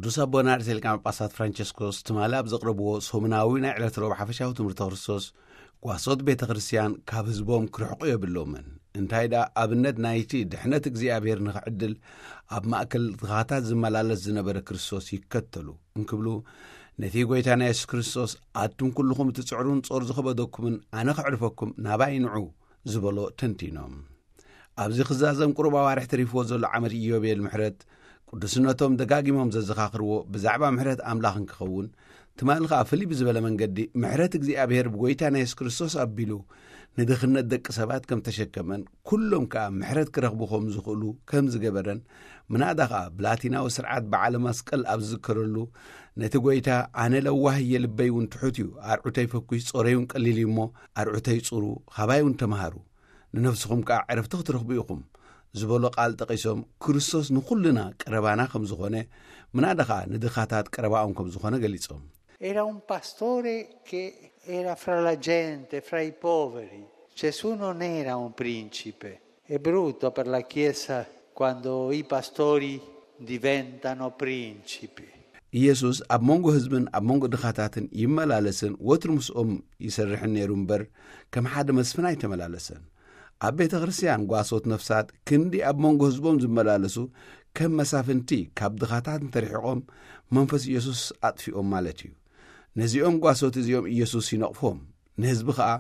ቅዱስ ኣቦና ርእሰ ሊቃነ ጳጳሳት ፍራንቸስኮስ ትማሊ ኣብ ዘቕረብዎ ሰሙናዊ ናይ ዕለት ረቡዕ ሓፈሻዊ ትምህርተ ክርስቶስ፣ ጓሶት ቤተ ክርስቲያን ካብ ህዝቦም ክርሕቑ የብሎምን። እንታይ ደኣ፣ ኣብነት ናይቲ ድሕነት እግዚኣብሔር ንኽዕድል ኣብ ማእከል ድኻታት ዝመላለስ ዝነበረ ክርስቶስ ይከተሉ እንክብሉ፣ ነቲ ጐይታና የሱስ ክርስቶስ፣ ኣቱም ኩልኹም እትጽዕሩን ጾር ዝኸበደኩምን፣ ኣነ ከዕርፈኩም ናባይ ንዑ ዝበሎ ተንቲኖም። ኣብዚ ክዛዘም ቁሩብ ኣዋርሕ ተሪፍዎ ዘሎ ዓመት ኢዮቤል ምሕረት፣ ቅዱስነቶም ደጋጊሞም ዘዘኻኽርዎ ብዛዕባ ምሕረት ኣምላኽ እንክኸውን፣ ትማሊ ኸኣ ፍልይ ብዝበለ መንገዲ ምሕረት እግዚኣብሔር ብጐይታና የሱስ ክርስቶስ ኣቢሉ ንድኽነት ደቂ ሰባት ከም ተሸከመን፣ ኩሎም ከኣ ምሕረት ክረኽቡ ከም ዝኽእሉ ከም ዝገበረን፣ ምናዳ ኸኣ ብላቲናዊ ስርዓት በዓለ መስቀል ኣብ ዝዝከረሉ፣ ነቲ ጐይታ፣ "ኣነ ለዋህ እየ፣ ልበይ እውን ትሑት እዩ፣ ኣርዑተይ ፈኲስ፣ ጾረይ እውን ቀሊል እዩ እሞ፣ ኣርዑተይ ጹሩ፣ ኻባይ እውን ተምሃሩ፣ ንነፍስኹም ከኣ ዕረፍቲ ክትረኽቡ ኢኹም" ዝበሎ ቃል ጠቒሶም፣ ክርስቶስ ንኹልና ቀረባና ከም ዝኾነ፣ ምናዳ ኸኣ ንድኻታት ቀረባኦም ከም ዝኾነ ገሊጾም። Era un pastore che era fra la gente, fra i poveri. Gesù non era un principe. È brutto per la Chiesa quando i pastori diventano principi. ኢየሱስ ኣብ መንጎ ህዝብን ኣብ መንጎ ድኻታትን ይመላለስን ወትሩ ምስኦም ይሰርሕን ነይሩ እምበር፣ ከም ሓደ መስፍን ኣይተመላለሰን። ኣብ ቤተ ክርስቲያን ጓሶት ነፍሳት ክንዲ ኣብ መንጎ ህዝቦም ዝመላለሱ፣ ከም መሳፍንቲ ካብ ድኻታት እንተርሒቖም፣ መንፈስ ኢየሱስ ኣጥፊኦም ማለት እዩ። ነዚኦም ጓሶት እዚኦም ኢየሱስ ይነቕፎም። ንህዝቢ ኸኣ፣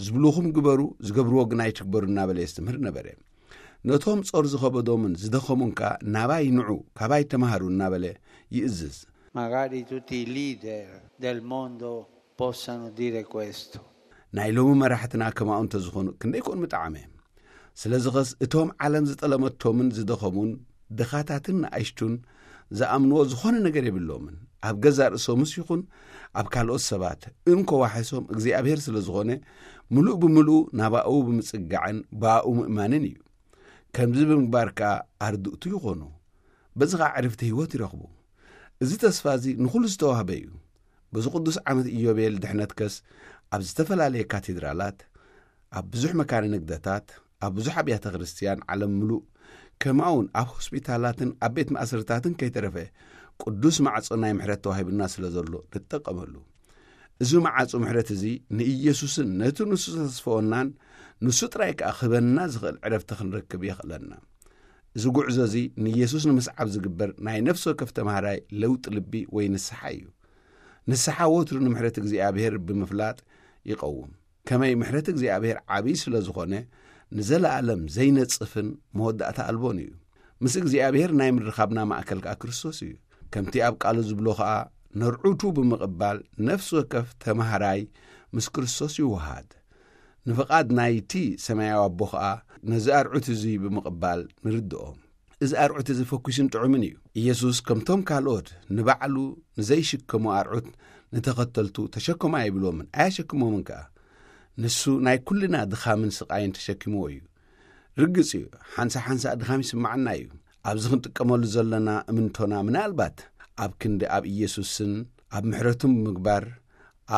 "ዝብሉኹም ግበሩ፣ ዝገብርዎ ግን ኣይትግበሩ" እናበለ የስተምህር ነበረ። ነቶም ጾር ዝኸበዶምን ዝደኸሙን ከኣ፣ "ናባይ ንዑ፣ ካባይ ተማሃሩ" እናበለ ይእዝዝ። Magari tutti i leader del mondo possano dire questo. ናይ ሎሚ መራሕትና ከማኡ እንተዝኾኑ ክንደይ ኮን ምጠዓመ። ስለዚ ኸስ እቶም ዓለም ዝጠለመቶምን ዝደኸሙን ድኻታትን ንኣሽቱን ዝኣምንዎ ዝኾነ ነገር የብሎምን። ኣብ ገዛእ ርእሶምስ ይኹን ኣብ ካልኦት ሰባት እንኮ ዋሕሶም እግዚኣብሔር ስለ ዝኾነ፣ ምሉእ ብምሉእ ናባኡ ብምጽጋዕን ብኣኡ ምእማንን እዩ። ከምዚ ብምግባር ከኣ ኣርድእቱ ይኾኑ። በዚ ኸኣ ዕርፍቲ ህይወት ይረኽቡ። እዚ ተስፋ እዚ ንኹሉ ዝተዋህበ እዩ። በዚ ቅዱስ ዓመት ኢዮቤል ድሕነትከስ ኣብ ዝተፈላለየ ካቴድራላት፣ ኣብ ብዙሕ መካነ ንግደታት፣ ኣብ ብዙሕ ኣብያተ ክርስቲያን ዓለም ምሉእ፣ ከምኡውን ኣብ ሆስፒታላትን ኣብ ቤት ማእሰርታትን ከይተረፈ ቅዱስ ማዕጾ ናይ ምሕረት ተዋሂቡና ስለ ዘሎ ንጠቀመሉ። እዚ መዓጹ ምሕረት እዚ ንኢየሱስን ነቲ ንሱ ዘተስፈወናን ንሱ ጥራይ ከኣ ክህበና ዝኽእል ዕረፍቲ ክንረክብ የኽእለና። እዚ ጉዕዞ እዚ ንኢየሱስ ንምስዓብ ዝግበር ናይ ነፍሲ ወከፍ ተማሃራይ ለውጢ ልቢ ወይ ንስሓ እዩ። ንስሓ ወትሩ ንምሕረት እግዚኣብሔር ብምፍላጥ ይቐውም። ከመይ ምሕረት እግዚኣብሔር ዓብዪ ስለ ዝኾነ ንዘለኣለም ዘይነጽፍን መወዳእታ ኣልቦን እዩ። ምስ እግዚኣብሔር ናይ ምርኻብና ማእከል ከኣ ክርስቶስ እዩ። ከምቲ ኣብ ቃሉ ዝብሎ ኸኣ ነርዑቱ ብምቕባል ነፍሲ ወከፍ ተማሃራይ ምስ ክርስቶስ ይወሃድ። ንፍቓድ ናይቲ ሰማያዊ ኣቦ ኸኣ ነዚ ኣርዑት እዚ ብምቕባል ንርድኦ። እዚ ኣርዑት እዚ ፈኲስን ጥዑምን እዩ። ኢየሱስ ከምቶም ካልኦት ንባዕሉ ንዘይሽከሙ ኣርዑት ንተኸተልቱ ተሸከሙ ኣይብሎምን፣ ኣየሸክሞምን ከኣ። ንሱ ናይ ኩልና ድኻምን ስቓይን ተሸኪምዎ እዩ። ርግጽ እዩ፣ ሓንሳ ሓንሳ ድኻም ይስምዓና እዩ። ኣብዚ ክንጥቀመሉ ዘለና እምንቶና ምናልባት ኣብ ክንዲ ኣብ ኢየሱስን ኣብ ምሕረቱን ብምግባር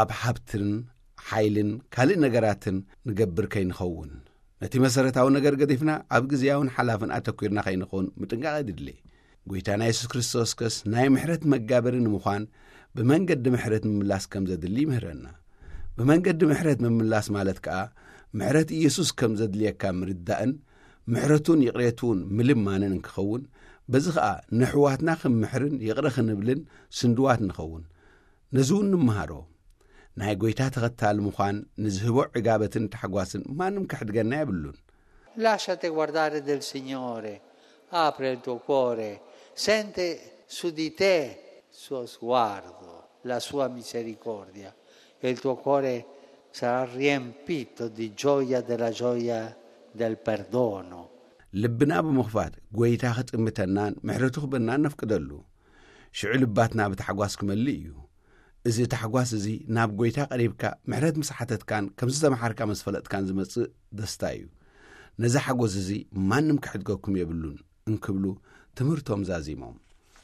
ኣብ ሃብትን ሓይልን ካልእ ነገራትን ንገብር ከይንኸውን፣ ነቲ መሰረታዊ ነገር ገዲፍና ኣብ ግዝያውን ሓላፍን ኣተኲርና ከይንኸውን ምጥንቃቕ የድሊ። ጐይታና የሱስ ክርስቶስ ከስ ናይ ምሕረት መጋበሪ ንምዃን ብመንገዲ ምሕረት ምምላስ ከም ዘድሊ ይምህረና። ብመንገዲ ምሕረት ምምላስ ማለት ከኣ ምሕረት ኢየሱስ ከም ዘድልየካ ምርዳእን ምሕረቱን ይቕሬቱን ምልማንን እንክኸውን፣ በዚ ኸኣ ንሕዋትና ክንምሕርን ይቕረ ክንብልን ስንድዋት ንኸውን። ነዚ እውን ንምሃሮ። ናይ ጐይታ ተኸታሊ ምዃን ንዝህቦ ዕጋበትን ታሕጓስን ማንም ከሕድገና የብሉን። Lasciate guardare del Signore, apre il tuo cuore, sente su di te il suo sguardo, la sua misericordia, e il tuo cuore sarà riempito di gioia, della gioia del perdono. ልብና ብምኽፋት ጐይታ ክጥምተናን ምሕረቱ ክበናን ነፍቅደሉ። ሽዑ ልባትና ብታሕጓስ ክመልእ እዩ። እዚ ታሕጓስ እዚ ናብ ጐይታ ቀሪብካ ምሕረት ምስ ሓተትካን ከም ዝተመሓርካ ምስ ፈለጥካን ዝመጽእ ደስታ እዩ። ነዚ ሓጎስ እዚ ማንም ክሕድገኩም የብሉን እንክብሉ ትምህርቶም ዛዚሞም።